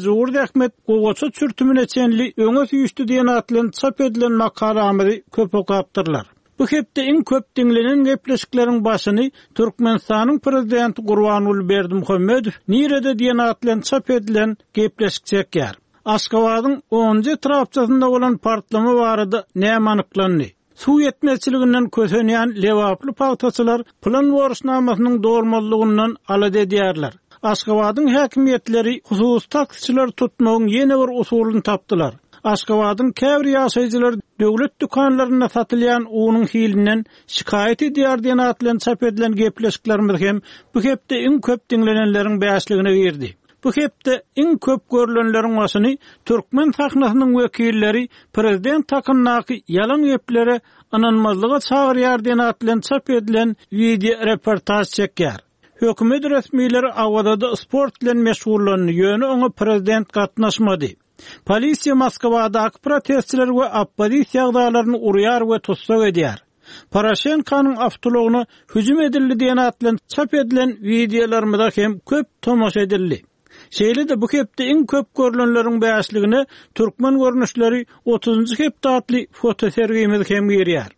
Mejbur zähmet gowaça çürtümine çenli öňe süýşdi diýen at bilen çap edilen makalamyzy köp okapdyrlar. Bu hepde iň köp diňlenen gepleşikleriň başyny Türkmenistanyň Prezidenti Gurbanguly Berdimuhamedow nirede diýen at bilen çap edilen gepleşik çekýär. Aşgabadyň onunjy etrapçasynda bolan partlama barada näme anyklandy? Suw ýetmezçiliginden kösenýän lebaply pagtaçylar plan borçnamasynyň dolmazlygyndan alada edýärler. Aşgabadyň häkimiýetleri hususy taksiçileri tutmagyň ýene bir usulyny tapdylar. Aşgabadyň käbir ýaşaýjylary döwlet dükanlarynda satylýan unuň hilinden şikaýat edýär diýen at bilen çap edilen gepleşiklerimiz hem bu hepde iň köp diňlenenleriň bäşligine girdi. Bu hepde iň köp görlenleriň başyny türkmen sahnasynyň wekilleri prezident hakyndaky ýalan geplere ynanmazlyga çagyrýar diýen at bilen çap edilen wideoreportaž çekýär. Hökümet resmileri Awazada sport bilen meşgullandy, ýöne oňa prezident gatnaşmady. Polisiýa Moskwadaky protestçileri we oppozisiýa agzalaryny urýar we tussag edýär. Poroşenkonyň awtoulagyna hüjüm edildi diýen at bilen çap edilen wideolarymyza hem köp tomaşa edildi. Şeýle-de bu hepde iň köp görlenleriň bäşligine Türkmen görnüşleri otuzynjy hepde atly fotosergimiz hem girýär.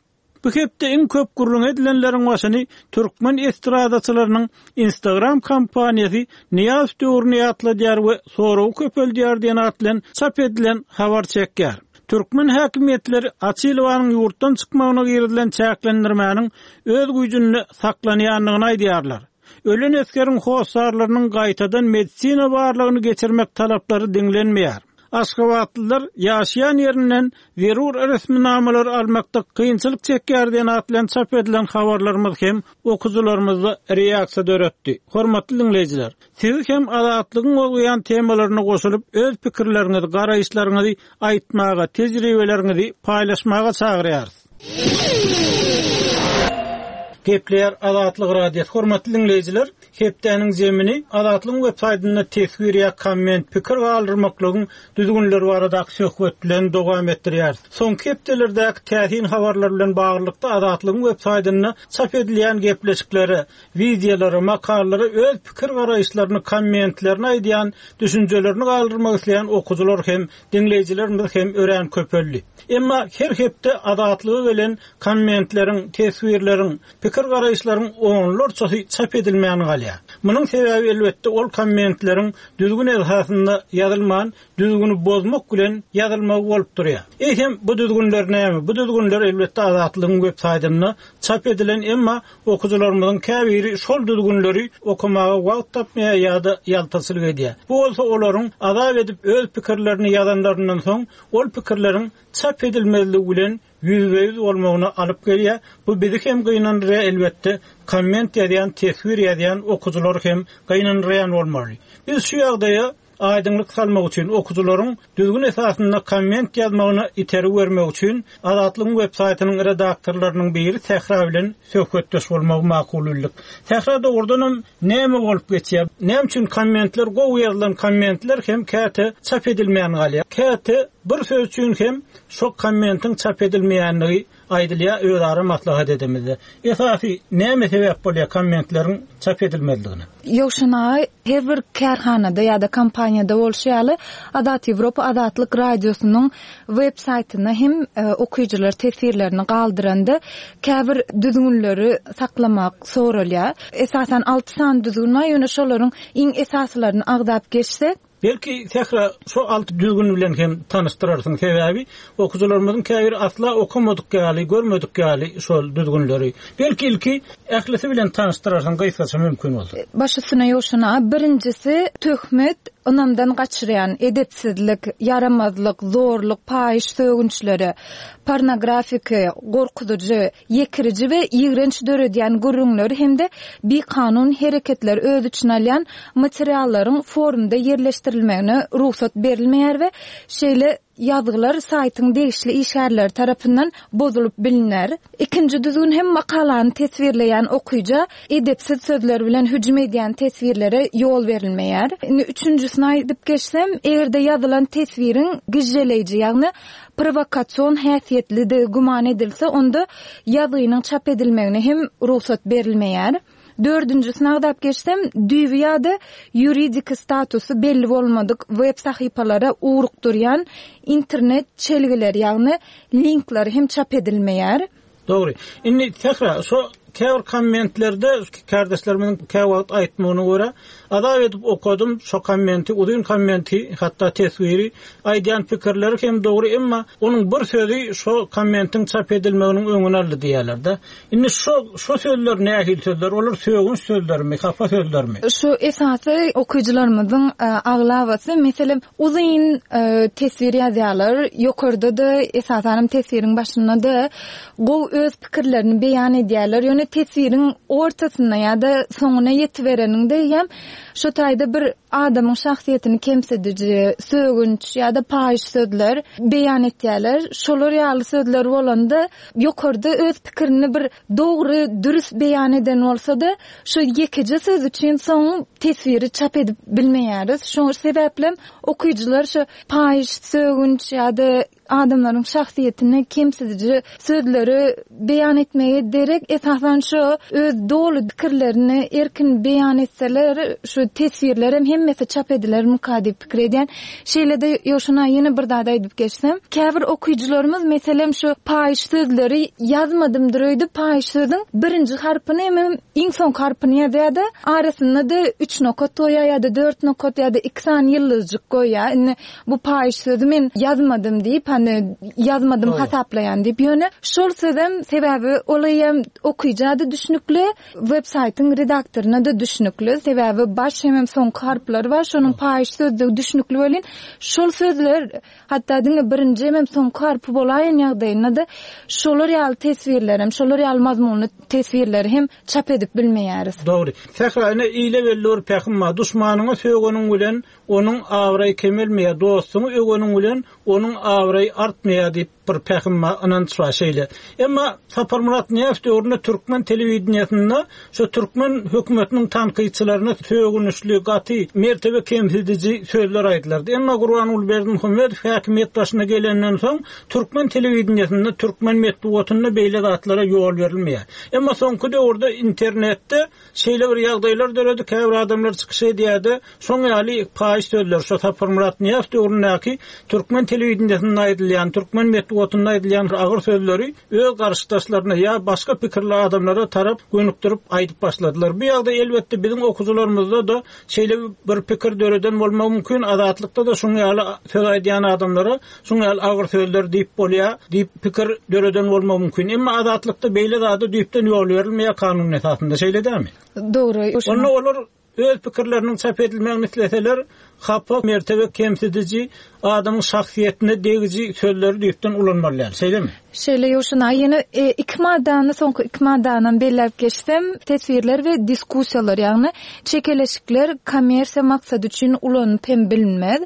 Bu hepde iň köp gürrüň edilenleriň başyny türkmen estradaçylarynyň Instagram kampaniýasy Nyýazow döwrüni ýatladýar we soragy köpeldýär diýen at bilen çap edilen habar çekýär. Türkmen häkimiýetleri Açilowanyň ýurtdan çykmagyna girizilen çäklendirmäniň öz güýjünde saklanýandygyny aýdýarlar. Ölen esgeriň hossarlarynyň gaýtadan medisina barlagyny geçirmek talaplary diňlenmeýär. Aşgabatlylar ýaşaýan ýerinden zerur resminamalary almakda kynçylyk çekýär diýen at bilen çap edilen habarlarymyz hem okyjylarymyzda reaksiýa döretdi. Hormatly diňleýjiler, sizi hem Azatlygyň gozgaýan temalaryna goşulyp, öz pikirleriňizi, garaýyşlaryňyzy aýtmaga, tejribeleriňizi paýlaşmaga çagyrýarys. Gepleýär Azatlyk Radiosy. Hormatly diňleýjiler, hepdäniň zemini Azatlygyň web saýtynda teswir ýa komment, pikir galdyrmaklygyň düzgünleri baradaky söhbet bilen dowam etdirýäris. Soňky hepdelerdäki täsin habarlar bilen baglylykda Azatlygyň web saýtynda çap edilýän gepleşiklere, wideolara, makalalara öz pikir-garaýyşlaryny, kommentlerini aýdýan, düşünjelerini galdyrmak isleýän okyjylar hem, diňleýjilerimiz hem örän köpeldi. Emma her hepde Azatlyga gelen kommentleriň, teswirleriň, pikir-garaýyşlaryň onlarçasy çap edilmän galýar. Munuň sebäbi elbetde ol kommentleriň düzgün esasynda ýazylman, düzgüni bozmak bilen ýazylmagy bolup durýar. Eýsem, bu düzgünler näme? Bu düzgünler elbetde Azatlygyň web saýtynda çap edilen, emma okyjylarymyzyň käbiri şol düzgünleri okamaga wagt tapmaýar ýa-da ýaltaçylyk edýär. Bu bolsa olaryň azap edip öz pikirlerini ýazanlaryndan soň ol pikirleriň çap edilmezligi bilen ýüzbe-ýüz bolmagyna alyp gelýär. Bu bizi hem gynandyrýar elbetde, komment ýazýan, teswir ýazýan okyjylary hem gynandyrýan bolmaly. Biz şu ýagdaýa Aýdyňlyk salmak üçin, okyjylaryň düzgün esasynda komment ýazmagyna itergi bermek üçin Azatlygyň web saýtynyň redaktorlarynyň biri Sähra bilen söhbetdeş bolmagy makul bildik. Sähra dogrudanam näme bolup geçýär? Näme üçin kommentler gowy ýazylan kommentler hem käte çap edilmän galýar? Käte bir söz üçin hem şo kommentiň çap edilmeýänligi aýdylýar özara maslahat edemizde. Esasy näme sebäp bolýar kommentleriň çap edilmezligine? Ýowşan aga, her bir kärhanada ýa-da kompaniýada bolşy ýaly, Azat Ýewropa Azatlyk Radiosynyň web saýtynda hem okyjylar teswirlerini galdyranda käbir düzgünleri saklamak soralýar. Esasan alty sany düzgün bar, ýöne şolaryň iň esasylaryny agzap geçsek. Belki Sähra şo alty düzgün bilen hem tanyşdyrarsyň sebäbi okyjylarymyzyň käbiri asla okamadyk ýaly görmedik ýaly şol düzgünleri. Belki ilki ählisi bilen tanyşdyrarsyň gysgaça mümkin bolsa. Baş üstüne Ýowşan aga, birinjisi töhmet, ynamdan gaçyrýan, edepsizlik, ýaramazlyk, zorluk, paýyş sögünçleri, pornografiki, gorkuzyjy, ýekiriji we ýigrenç döredýän gürrüňleri hem-de bikanun hereketleri öz içine alýan materiallaryň forumda ýerleşdirilmegine rugsat berilmeýär we şeýle ýazgylar saýtyň degişli işgärleri tarapyndan bozulyp bilner. Ikinji düzgün hem makalany teswirleýän okyja edepsiz sözler bilen hüjüm edýän teswirlere ýol berilmeýär. Indi üçünjisini aýdyp geçsem, eger-de ýazylan teswiriň gižželeýji, ýagny prowokasion häsiýetlidigi güman edilse, onda ýazgynyň çap edilmegine hem rugsat berilmeýär. Dördünjisini agzap geçsem, düýbi ýa-da ýuridiki statusy belli bolmadyk web sahypalara ugrukdyrýan internet çelgileri, ýagny linkleri hem çap edilmeýär. Dogry. Indi Sähra, şo käbir kommentlerde kärdeşlerimiziň käwagt aýtmagyna görä, azap edip okadym şo kommenti, uzyn kommenti, hatda teswiri, aýdýan pikirleri hem dogry, emma onuň bir sözi şo kommentiň çap edilmeginiň öňüni aldy diýýärler-de. Indi şo şo sözler nähili sözler? Olar sögünç sözlermi, hapa sözlermi? Şu esasy okyjylarymyzyň aglabasy, meselem, Uzyn teswir ýazýarlar. Ýokarda-da, esasanam teswiriň başynda-da gowy öz pikirlerini beýan edýärler. Ýöne teswiriň ortasynda ýa-da soňuna ýetibereniňde eýýäm şo taýda bir adamyň şahsyýetini kemsidiji, sögünç ýa-da paýyş sözler beýan etýärler. Şolar ýaly sözler bolanda ýokarda öz pikirini bir dogry, dürs beýan eden bolsa-da, şu ýekeje söz üçin soň teswiri çap edip bilmeýäris. Şoň sebäplem okyjylar şu paýyş, sögünç ýa-da adamlaryň şahsyýetini kemsidiji sözleri beýan etmege derek, esasan şu öz doly pikirlerini erkin beýan etseler, şu teswirlerem hemmesi çap edilermika diýip pikir edýän. Şeýle-de Ýowşan aga ýene bir zat aýdyp geçsem, käbir okyjylarymyz meselem şu paýyş sözleri ýazmadymdyr öýdüp paýyş sözüň birinji harpyny hemem iň soňky harpyny ýazýar-da, arasynda-da üç nokat goýýar ýa-da dört nokat ýa-da iki sany ýyldyzjyk goýýar. Indi bu paýyş sözi men ýazmadym diýip, hany ýazmadym hasaplaýan diýip, ýöne şol sözem sebäbi ol eýýäm okyja-da düşnükli, Web saýtyň redaktoryna-da düşnükli, sebäbi baş hemem soňky harplary bar, şonuň paýyş sözdügi düşnükli welin, şol sözler, hatda diňe birinji hemem soňky harpy bolaýan ýagdaýynda-da, şolar ýaly teswirlerem, şolar ýaly mazmunly teswirleri hem çap edip bilmeýäris. Dogry. Sähra, ine, ile belli bir pähim bar, Duşmanyňa sögeniň bilen onuň abraýy kemelmeýär, dostuňy öweniň bilen onuň abraýy artmaýar diýip. Bir pähim bar, ynanç bar şeýle. Emma Saparmyrat Nyýazow döwründe türkmen telewideniýesinde şu türkmen hökümetiniň tankytçylaryna sögünişli, gaty mertebe kemsidiji sözler aýdylardy. Emma Gurbanguly Berdimuhamedow häkimiýet başyna gelenden soň türkmen telewideniýesinde, türkmen metbugatynda beýle zatlara ýol berilmeýär. Emma soňky döwürde internetde Şeýle bir ýagdaýlar döredi, käbir adamlar çykyş edýär-de, şoň ýaly paýyş sözler, şo Saparmyrat Nyýazow döwründäki türkmen telewideniýesinde aýdylýan, türkmen metbugatynda aýdylýan agyr sözleri öz garşydaşlaryna ýa başga pikirli adamlara tarap gönükdirip aýdyp başladylar. Bu ýagdaý elbetde biziň okyjylarymyzda-da şeýle bir pikir döreden bolmagy mümkin, Azatlykda-da şoň ýaly söz aýdýan adamlara Şuň ýaly agyr sözler diýip bolýar diýip pikir döreden bolmagy mümkin. Emma Azatlykda beýle zada düýpden ýol berilmeýär kanun esasynda, şeýle dälmi? Dogry. Onda olar öz pikirleriniň çap edilmegini isleseler, hapa, mertebe kemsidiji, adamyň şahsyýetine degiji sözleri düýpden ulanmaly däl, şeýlemi? Şeýle Ýowşan aga, ýene iki maddany, soňky iki maddanam belläp geçsem, teswirler we diskussiýalar, ýagny çekeleşikler kommersiýa maksady üçin ulanyp hem bilinmez.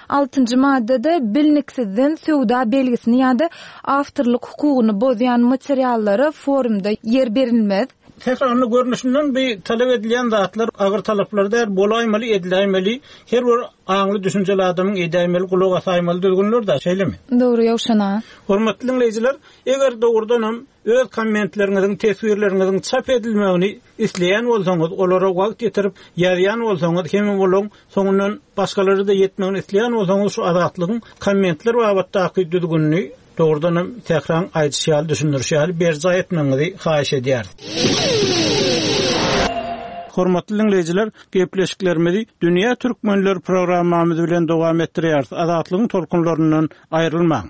Altynjy maddada bilniksizden söwda belgisini ýa-da awtorlyk hukugyny bozýan materiallara forumda ýer berilmez. Sährany görnüşinden bu talap edilýän zatlar agyr talaplar däl, bolaýmaly, ediläýmeli, her bir aňly düşünjeli adamyň edäýmeli, gulak asaýmaly düzgünler-dä, şeýlemi? Dogry, Ýowşan aga. Hormatly diňleýjiler, eger dogrudanam Öz kommentleriňiziň, teswirleriňiziň çap edilmegini isleýän bolsaňyz, olara wagt ýitirip ýazýan bolsaňyz hemem olaň soňundan başgalara-da ýetmegini isleýän bolsaňyz şu Azatlygyň kommentler babatdaky düzgünini dogrudanam Sähraň aýdyşy ýaly, düşündirişi ýaly berjaý etmegiňizi haýyş edýäris. Hormatly diňleýjiler, gepleşiklerimizi Dünýä Türkmenleri programmamyz bilen dowam etdirýäris. Azatlygyň tolkunlaryndan aýrylmaň!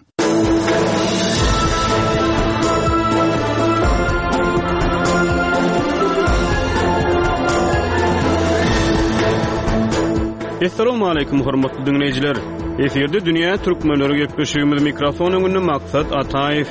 Assalamualaikum hormatly diňleýjiler. Efirde dünýä türkmenleri gepleşigimiz mikrofon öňünde Maksat Ataýew.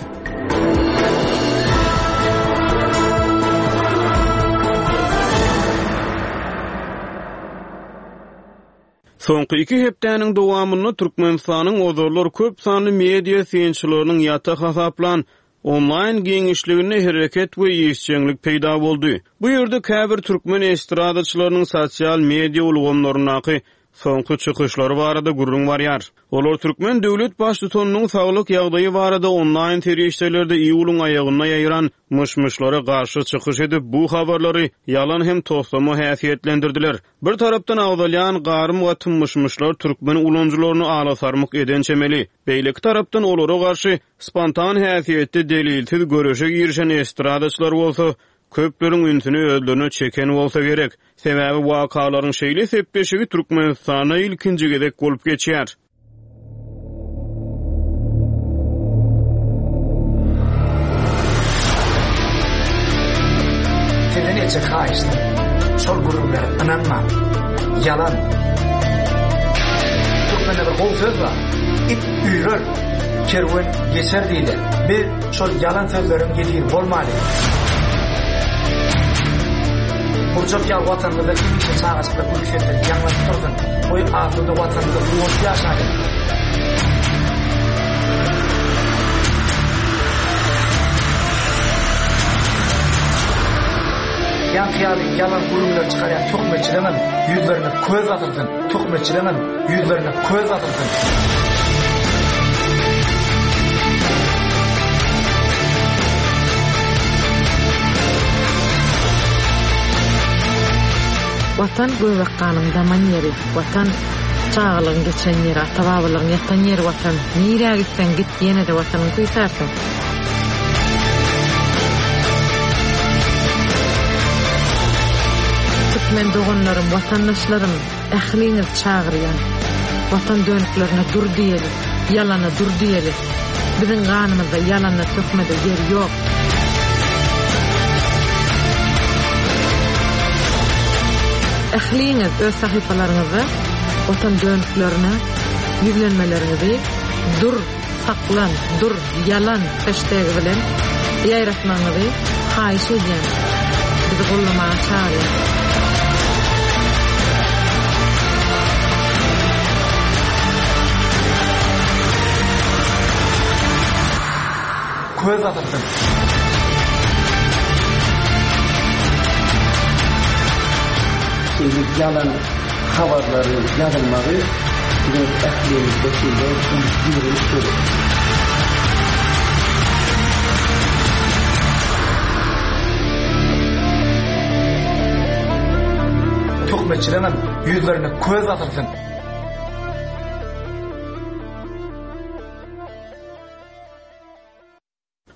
Soňky iki hepdäniň dowamynda Türkmenistanyň ozallar köp sanly media synçylarynyň ýata hasaplan onlaýn giňişliginde hereket we işjeňlik peýda boldy. Bu ýerde käbir türkmen estradaçylarynyň sosial media ulgamlaryndaky soňky çykyşlary barada gürrüň barýar. Olar türkmen döwlet baştutanynyň saglyk ýagdaýy barada onlaýn serişdelerde iýulyň aýagynda ýaýran myş-myşlara garşy çykyş edip, bu habarlary ýalan hem toslama häsiýetlendirdiler. Bir tarapdan agzalýan garym-gatym myş-myşlar türkmen ulanyjylaryny alasarmyk eden çemeli, beýleki tarapdan olara garşy spontan häsiýetde delilsiz göreşe girişen estradaçylar bolsa köpleriň ünsüni özlerine çeken bolsa gerek. Sebäbi wakalaryň şeýle sepleşigi Türkmenistanda ilkinji gezek bolup geçýär. Sizden etjek haýyştym, şol gürrüňlere ynanmaň. Ýalan. Türkmende bir gowy söz bar. It üýrer, kerwen geçer diýilýär. Biz şol ýalan sözleriň ýesiri bolmalyň. Gurjak ýaly Watanymyzda hemişe çagajyklar gülki sesleri ýaňlanyp dursun. Goý asuda Watanymyzda guwanyp ýaşalyň. Ýaňky ýaly ýalan gürrüňleri çykarýan töhmetçileňem ýüzlerine köz basylsyn, töhmetçileňem ýüzlerine köz basylsyn. Watan göbek ganyň daman ýeri, Watan, çagalygyň geçen ýeri, ata-babalaryň ýatan ýeri Watan, nirä gitseň git ýene-de Watanyňy küýsärsiň. Türkmen doganlarym, watandaşlarym, ähliňizi çagyrýan. Watan dönüklerine dur diýeli, ýalana dur diýeli. Biziň ganymyzda ýalana töhmede ýer ýok. Ähliňiz öz sahypalaryňyzda Watan dönüklerine ýüzlenmeleriňizi dur, saklan, dur, ýalan heştegi bilen ýaýratmagyňyzy haýyş edýän. Bizi goldamaga çagyrýan. Köz basylsyn. Şeýle ýalan habarlaryň ýazylmagy biziň ählimizde şeýle uly ýigrenç döretdi. Töhmetçileňem ýüzlerine köz basylsyn.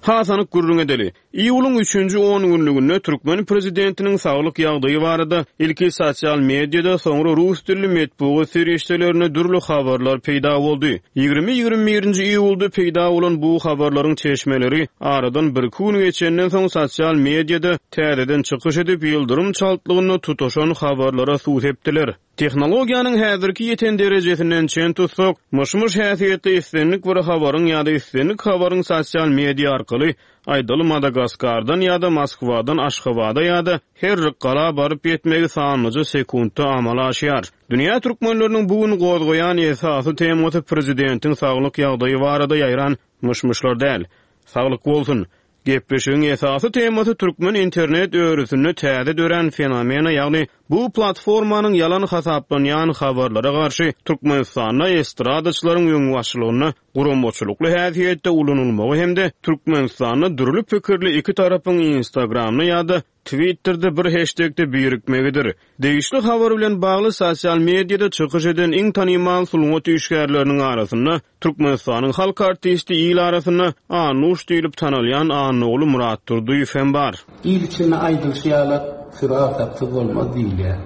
Has anyk gürrüň edeli. Iýulyň üçünji ongünlüginde türkmen prezidentiniň saglyk ýagdaýy barada ilki sosial mediada, soňra rus dilli metbugat serişdelerinde dürli habarlar peýda boldy. Ýigrimi-ýigrimi birinji iýulda peýda bolan bu habarlaryň çeşmeleri aradan birki gün geçenden soň sosial mediada täzeden çykyş edip, ýyldyrym çaltlygynda tutaşan habarlara suw sepdiler. Tehnologiýanyň häzirki ýeten derejesinden çen tutsak, myş-myş häsiýetli islendik bir habaryň ýa-da islendik habaryň sosial media arkaly, aýdaly Madagaskardan ýa-da Moskwadan Aşgabada ýa-da Herrikgala baryp ýetmegi sanlyja sekuntda amala aşýar. Dünýä türkmenleriniň bu gün gozgaýan esasy temasy prezidentiň saglyk ýagdaýy barada ýaýran myş-myşlar däl. Saglyk bolsun! Gepleşigiň esasy temasy türkmen internet örüsinde täze dörän fenomene, ýagny bu platformanyň ýalan hasaplanýan habarlara garşy Türkmenistanda estradaçylaryň öňbaşçylygynda guramaçylykly häsiýetde ulanylmagy hem-de Türkmenistanda dürli pikirli iki tarapyň Instagramda ýa-da Twitterde bir heşdekde birikmegidir. Degişli habar bilen bagly sosial mediada çykyş eden iň tanymal sungat işgärleriniň arasynda Türkmenistanyň halk artisti il arasynda Annuş diýlip tanalýan Annaguly Myratdurdyýew hem bar. Il içinde aýdylyşy ýaly süri agsaksyz bolmaz diýilýär.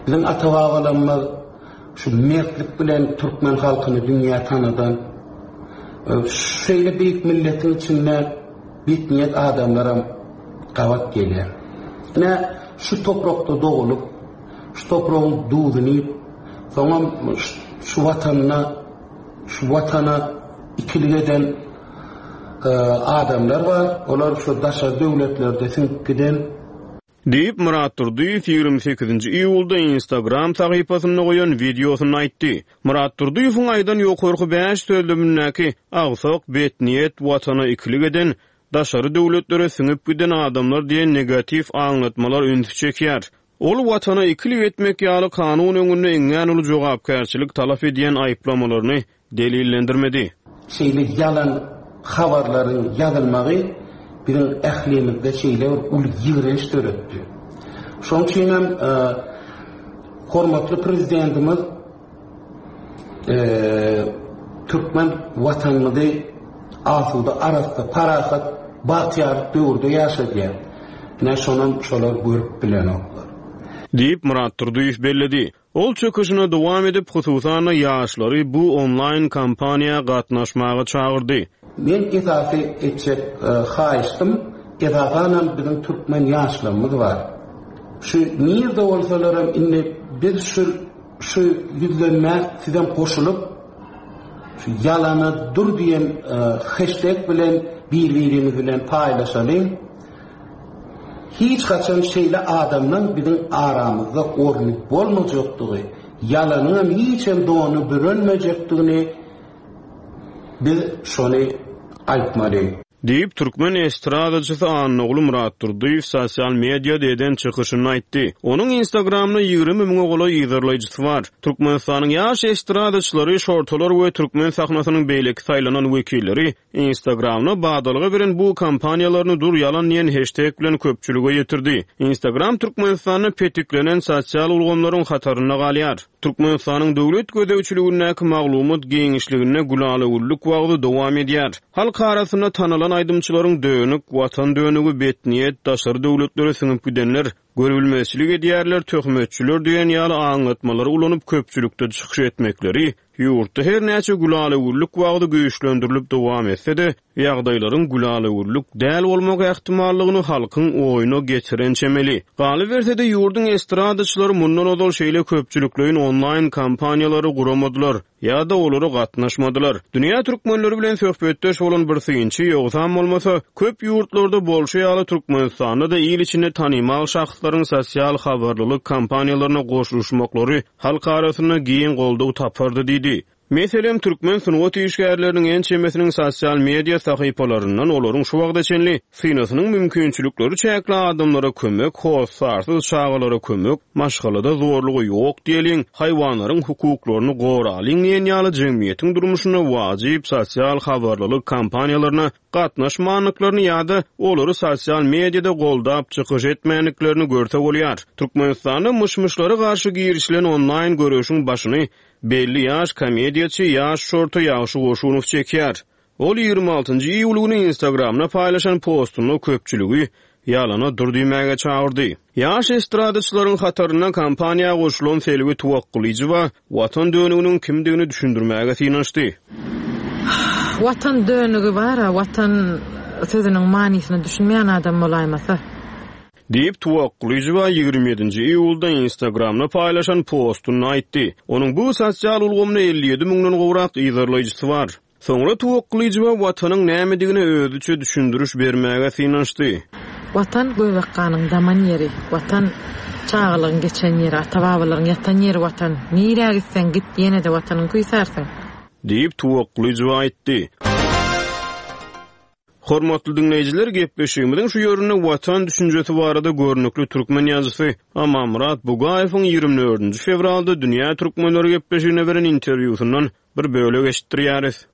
Biziň ata-babalarymyz şu mertlik bilen türkmen halkyny dünýä tanadan, şeýle beýik milletiň içinde betniýet adamlaram gabat gelýär. Ine, şu toprakda dogulyp, şu topragyň duzuny iýip, soňam şu Watanda, şu Watana ikilik eden adamlar bar. Olar şu daşary döwletlerde siňip giden. Diýip, Myrat Durdyýew 28-nji iýulda Instagram sahypasynda goýan wideosynda aýtdy. Myrat Durdyýewiň aýdan ýokarky bäş sözlemindäki agsak, betniýet, Watana ikilik eden, daşary döwletlere siňip giden adamlar diýen negatiw aňlatmalar ünsi çekýär. Ol Watana ikilik etmek ýaly kanun öňünde iňňän uly jogapkärçilik talap edýän aýyplamalaryny delillendirmedi. Şeýle ýalan habarlaryň ýazylmagy biziň ählimizde şeýle bir uly ýigrenç döretdi. Şonuň üçin hem hormatly Prezidentimiz türkmen Watanymyzy asuda, arassa, parahat, bagtyýarlyk döwürde ýaşadýar. Ine, şonam şolar görüp bilenoklar. Diýip, Myrat Durdyýew belledi. Ol çykyşyny dowam edip, hususan-da, ýaşlary bu onlaýn kampaniýa gatnaşmaga çagyrdy. Men esasy etjek haýyştym, esasanam biziň türkmen ýaşlarymyz bar. Şu nirde bolsalaram indi biz şu şu ýüzlenmä sizem goşulyp, şu ýalana dur diýen heşteg bilen bir-birimiz bilen paýlaşalyň. Hiç haçan şeýle adamlaň biziň aramyzda orny bolmajakdygy, ýalanyňam hiçem dony bürenmejekdigini biz şony aýtmaly. Diýip, türkmen estradaçysy Annaguly Myratdurdyýew sosial mediada eden çykyşynda aýtdy. Onuň Instagramda 20 müňe golaý yzarlaýjysy bar. Türkmenistanyň ýaş estradaçylary, şortalar we türkmen sahnasynyň beýleki saýlanan wekilleri Instagramda badalga beren bu kampaniýalaryny dur ýalan diýen heşteg bilen köpçülige ýetirdi. Instagram Türkmenistanda petiklenen sosial ulgamlaryň hatarynda galýar. Türkmenistanyň döwlet gözegçiligindäki maglumat giňişliginde gülala-güllük wagzy dowam edýär. Halk arasynda tanalan aýdymçylaryň dönük, watan dönügi, betniýet, daşary döwletlere siňip gidenler, görübilmezçilik edýärler, töhmetçiler diýen ýaly aňlatmalary ulanyp köpçülikde çykyş etmekleri ýurtda her näçe gülala-güllük wagzy güýçlendirilip dowam etse-de, ýagdaýlaryň gülala-güllük däl bolmak ähtimallygyny halkyň oýuna getiren çemeli. Galyberse-de, ýurduň estradaçylary mundan ozal şeýle köpçülikleýin onlaýn kampaniýalary guramadylar ýa-da olara gatnaşmadylar. Dünýä türkmenleri bilen söhbetdeş bolan bir synçy, ýogsam bolmasa, köp ýurtlarda bolşy ýaly Türkmenistanda-da il içinde tanymal şahslaryň sosial habarlylyk kampaniýalaryna goşulyşmaklary halk arasynda giň goldaw tapardy diýdi. Meselem, türkmen sungat işgärleriniň ençemesiniň sosial media sahypalaryndan olaryň şu wagta çenli synasynyň mümkinçilikleri çäkli adamlara kömek, hossarsyz çagalara kömek, maşgalada zorluga ýok diýeliň, haýwanlaryň hukuklaryny goralyň diýen ýaly jemgyýetiň durmuşynda wajyp sosial habarlylyk kampaniýalaryna gatnaşmandyklaryny ýa-da olary sosial mediada goldap çykyş etmändiklerini görse bolýar. Türkmenistanda myş-myşlara garşy girişilen onlaýn göreşiň başyny Belli ýaş komediýaçy, ýaş şorta Ýagşy Goşunow çekýär. Ol 26 njy iýul güni Instagramda paýlaşan postunda köpçüligi ýalana dur diýmäge çagyrdy. Ýaş estradaçylaryň hatarynda kampaniýa goşulan Selbi Tuwakgylyjowa Watan dönüginiň kimdigini düşündirmäge synanyşdy. Watan dönügi bar-a, Watan sözüniň manysyna düşünmeýän adam bolaýmasa. Diýip, Tuwakgylyjowa 27 nji iýulda Instagramda paýlaşan postunda aýtdy. Onuň bu sosial ulgamda 57 müňden gowrak yzarlaýjysy bar. Soňra Tuwakgylyjowa Watanyň nämedigine özüçe düşündiriş bermäge synanyşdy. Watan, göbek ganyň daman ýeri, Watan, çagalygyň geçen ýeri, ata-babalaryň ýatan ýeri Watan. Nirä gitseň git, ýene-de Watanyňy küýsärsiň. Diýip, Tuwakgylyjowa aýtdy. Hormatly diňleýjiler, gepleşigimiziň şu ýerinde Watan düşünjesi barada görnükli türkmen ýazyjysy Amanmyrat Bugaýewiň 24-nji fewralda Dünýä türkmenleri gepleşigine beren interwýusyndan bir bölek eşitdirýäris.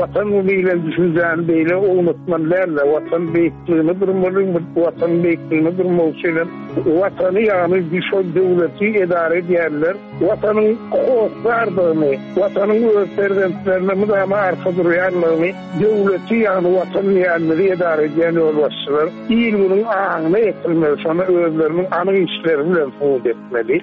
Watan diýlen düşünjäni beýle ownatmaly däl-de, Watan beýikligine durmaly, Watan beýikligine durmak üçin hem Watany, ýagny şol döwleti edara edýänler Watanyň hossardygyny, Watanyň öz perzentlerine mydama arka durýandygyny döwleti, ýagny Watan diýýänimizi edara edýän ýolbaşçylar il-günüň aňyna ýetirmeli, şony özleriniň anyk işleri bilen subut etmeli.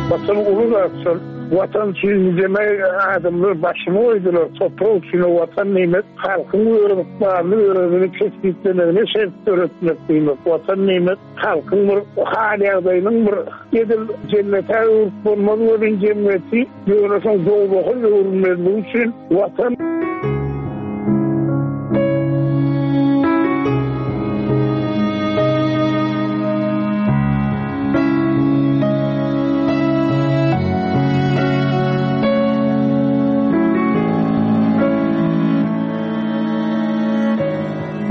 Watan uly zat şol. Watan üçin nijeme adamlar başyny goýdular, toprak üçin Watan diýmek halkyň öz ykbalyny özüni kesgitlemegine şert döretmek diýmek, Watan diýmek halkyň bir hal-ýagdaýynyň bir edil jennete öwrüp bolmaz welin jemgyýeti ýöne soň dowzaha öwrülmezligi üçin Watan.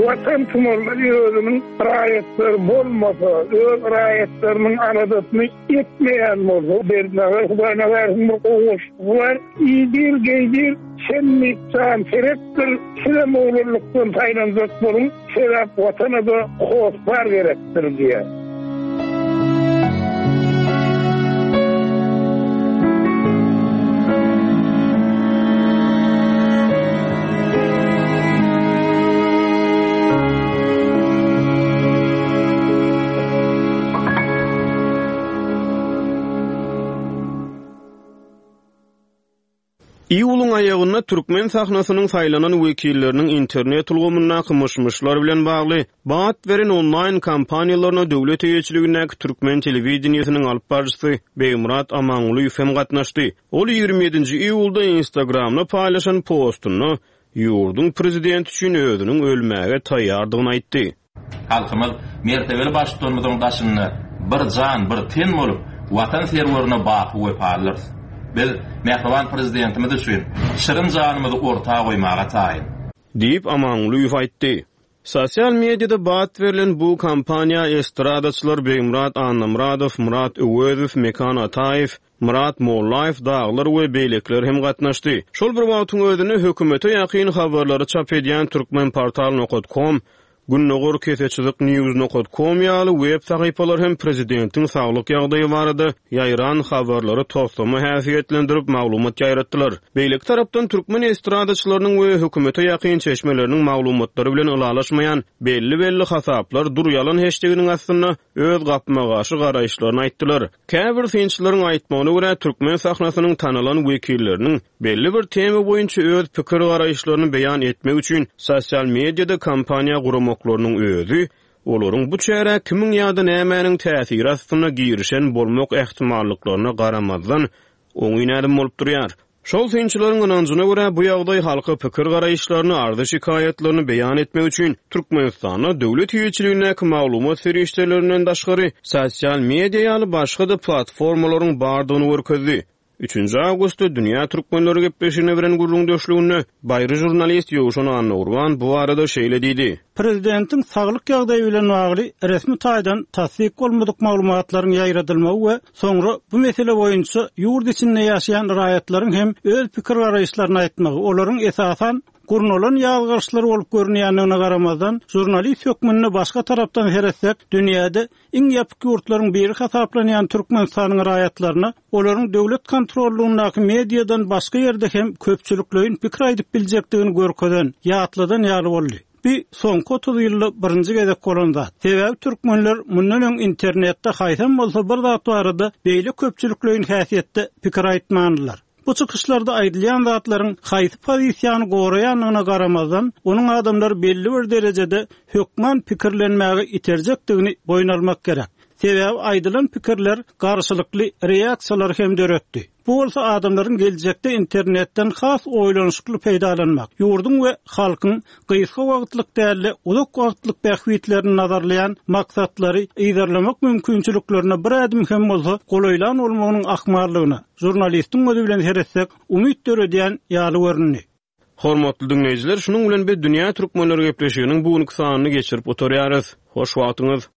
Watan tumarlar özüniň raýatlary bolmasa, öz raýatlarynyň aladasyny etmeýän bolsa, Berdinazar Hudaýnazarowyň bir gowy goşgusy bar, Iýdir, geýdir, sen diýip jan seretdir, sizem oglanlykdan saýlanjak boluň, sebäp Watana-da hossar gerekdir diýýär. Iýulyň aýagynda türkmen sahnasynyň saýlanan wekilleriniň internet ulgamyndaky myş-myşlar bilen bagly bat beren onlaýn kampaniýalaryna döwlet eýeçiligindäki türkmen telewideniýesiniň alyp baryjysy Begmyrat Amangulyýew hem gatnaşdy. Ol 27-nji iýulda Instagramda paýlaşan postunda ýurduň prezidenti üçin özüniň ölmäge taýýardygyny aýtdy. Halkymyz mertebeli Baştutanymyzyň daşynda bir jan, bir ten bolup, Watan serwerine baky wepalydyrys. Biz mähriban Prezidentimiz üçin şirin janymyzy orta goýmaga taýyn. Diýip, Amangulyýew aýtdy. Sosial mediada bat berlen bu kampaniýa estradaçylar Begmyrat Annamyradow, Myrat Öwezow, Mekan Ataýew, Myrat Mollaýew dagylar we beýlekiler hem gatnaşdy. Şol bir wagtyň özünde hökümete ýakyn habarlary çap edýän Turkmenportal nokat kom, Gündogar keseçyzyk news nokat kom ýaly web sahypalar hem prezidentiň saglyk ýagdaýy barada ýaýran habarlary toslama häsiýetlendirip maglumat ýaýratdylar. Beýleki tarapdan türkmen estradaçylarynyň we hökümete ýakyn çeşmeleriniň maglumatlary bilen ylalaşmaýan belli-belli hasaplar dur ýalan heşdeginiň astynda öz gapma-garşy garaýyşlaryny aýtdylar. Käbir synçylaryň aýtmagyna görä, türkmen sahnasynyň tanalan wekilleriniň belli bir tema boýunça öz pikir-garaýyşlaryny beýan etmek üçin sosial mediada kampaniýa guramaklarynyň özi olaryň bu çärä kimiň ýa-da nämäniň täsiri astynda girişen bolmak ähtimallyklaryna garamazdan, oňyn ädim bolup durýar. Şol synçylaryň ynanjyna görä, bu ýagdaý halka pikir-garaýyşlaryny, arzy-şikaýatlaryny beýan etmek üçin Türkmenistanda döwlet eýeçiligindäki maglumat serişdelerinden daşgary, sosial media ýaly başga-da platformalaryň bardygyny görkezdi. Üçünji awgustda Dünýä türkmenleri gepleşigine beren gürrüňdeşliginde baýry žurnalist Ýowşan Annagurban bu barada şeýle diýdi. Prezidentiň saglyk ýagdaýy bilen bagly resmi taýdan tassyk bolmadyk maglumatlaryň ýaýradylmagy we soňra bu mesele boýunça ýurt içinde ýaşaýan raýatlaryň hem öz pikir-garaýyşlaryny aýtmagy, olaryň esasan gurnalan ýazgaryşlar bolup görünýändigine garamazdan, žurnalist hökmünde başga tarapdan seretsek, dünýäde iň ýapyk ýurtlaryň biri hasaplanýan Türkmenistanyň raýatlaryna olaryň döwlet kontrollygyndaky mediadan başga ýerde hem köpçülikleýin pikir aýdyp biljekdigini görkezen, ýatladan ýaly boldy. Bi soňky 30 ýylda birinji gezek bolan zat. Sebäbi türkmenler mundan öň internetde haýsam bolsa bir zat barada beýle köpçülikleýin häsiýetde pikir aýtmandylar. Bu çykyşlarda aýdylýan zatlaryň haýsy pozisiýany goraýandygyna garamazdan, onuň adamlary belli bir derejede hökman pikirlenmäge iterjekdigini boýun almak gerek. Sebäbi aýdylan pikirler garşylykly reaksiýalary hem döretdi. Bu bolsa adamlaryň geljekde internetden has oýlanyşykly peýdalanmak, ýurduň we halkyň gysga wagtlyk däl-de, uzak wagtlyk bähbitlerini nazarlaýan maksatlary yzarlamak mümkinçiliklerine bir ädim hem bolsa golaýlan bolmagynyň ahmallygyna, žurnalistiň gözi bilen seretsek, umyt döredýän ýaly göründi. Hormatly diňleýjiler, şunuň bilen biz Dünýä Türkmenleri gepleşiginiň bu günki sanyny geçirip gutarýarys. Hoş wagtyňyz!